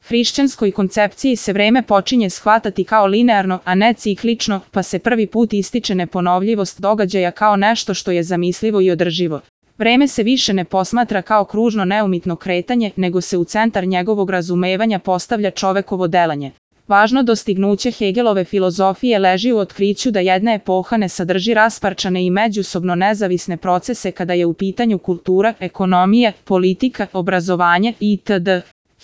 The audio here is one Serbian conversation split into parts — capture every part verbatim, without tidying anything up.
hrišćanskoj koncepciji se vreme počinje shvatati kao linearno, a ne ciklično, pa se prvi put ističe neponovljivost događaja kao nešto što je zamislivo i održivo. Vreme se više ne posmatra kao kružno neumitno kretanje, nego se u centar njegovog razumevanja postavlja čovekovo delanje. Važno dostignuće Hegelove filozofije leži u otkriću da jedna epoha ne sadrži rasparčane i međusobno nezavisne procese kada je u pitanju kultura, ekonomija, politika, obrazovanje itd.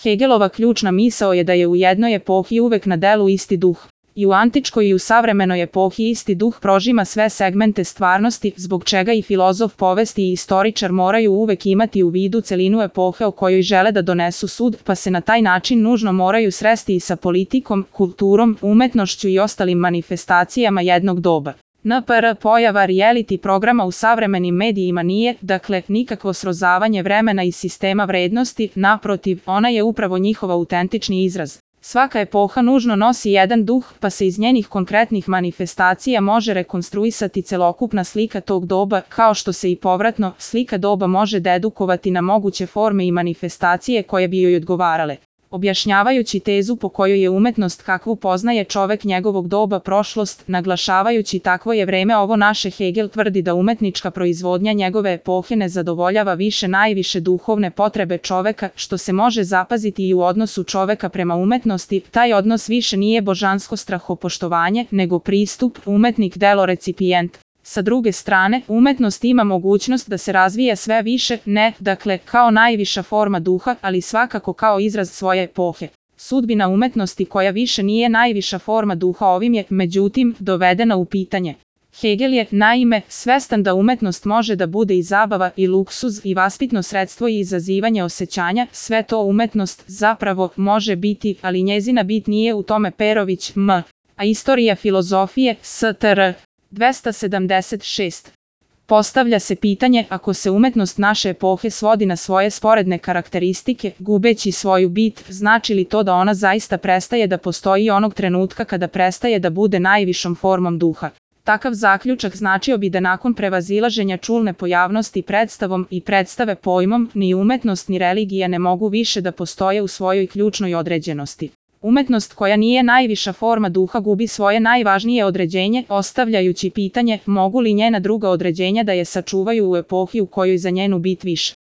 Hegelova ključna misao je da je u jednoj epohi uvek na delu isti duh. I u antičkoj i u savremenoj epohi isti duh prožima sve segmente stvarnosti, zbog čega i filozof povesti i istoričar moraju uvek imati u vidu celinu epohe o kojoj žele da donesu sud, pa se na taj način nužno moraju sresti i sa politikom, kulturom, umetnošću i ostalim manifestacijama jednog doba. N P R pojava reality programa u savremenim medijima nije, dakle, nikakvo srozavanje vremena i sistema vrednosti, naprotiv, ona je upravo njihov autentični izraz. Svaka epoha nužno nosi jedan duh, pa se iz njenih konkretnih manifestacija može rekonstruisati celokupna slika tog doba, kao što se i povratno slika doba može dedukovati na moguće forme i manifestacije koje bi joj odgovarale. Objašnjavajući tezu po kojoj je umetnost kakvu poznaje čovek njegovog doba prošlost, naglašavajući takvo je vreme ovo naše, Hegel tvrdi da umetnička proizvodnja njegove epohe ne zadovoljava više najviše duhovne potrebe čoveka, što se može zapaziti i u odnosu čoveka prema umetnosti. Taj odnos više nije božansko strahopoštovanje, nego pristup, umetnik delo recipijent. Sa druge strane, umetnost ima mogućnost da se razvije sve više, ne, dakle, kao najviša forma duha, ali svakako kao izraz svoje epohe. Sudbina umetnosti koja više nije najviša forma duha ovim je, međutim, dovedena u pitanje. Hegel je, naime, svestan da umetnost može da bude i zabava, i luksuz, i vaspitno sredstvo i izazivanje osjećanja, sve to umetnost zapravo može biti, ali njezina bit nije u tome. Perović, M. A istorija filozofije, S T R. dvesta sedamdeset šest. Postavlja se pitanje, ako se umetnost naše epohe svodi na svoje sporedne karakteristike, gubeći svoju bit, znači li to da ona zaista prestaje da postoji onog trenutka kada prestaje da bude najvišom formom duha? Takav zaključak značio bi da nakon prevazilaženja čulne pojavnosti predstavom i predstave pojmom, ni umetnost ni religija ne mogu više da postoje u svojoj ključnoj određenosti. Umetnost koja nije najviša forma duha gubi svoje najvažnije određenje, ostavljajući pitanje mogu li njena druga određenja da je sačuvaju u epohi u kojoj za njenu bit više.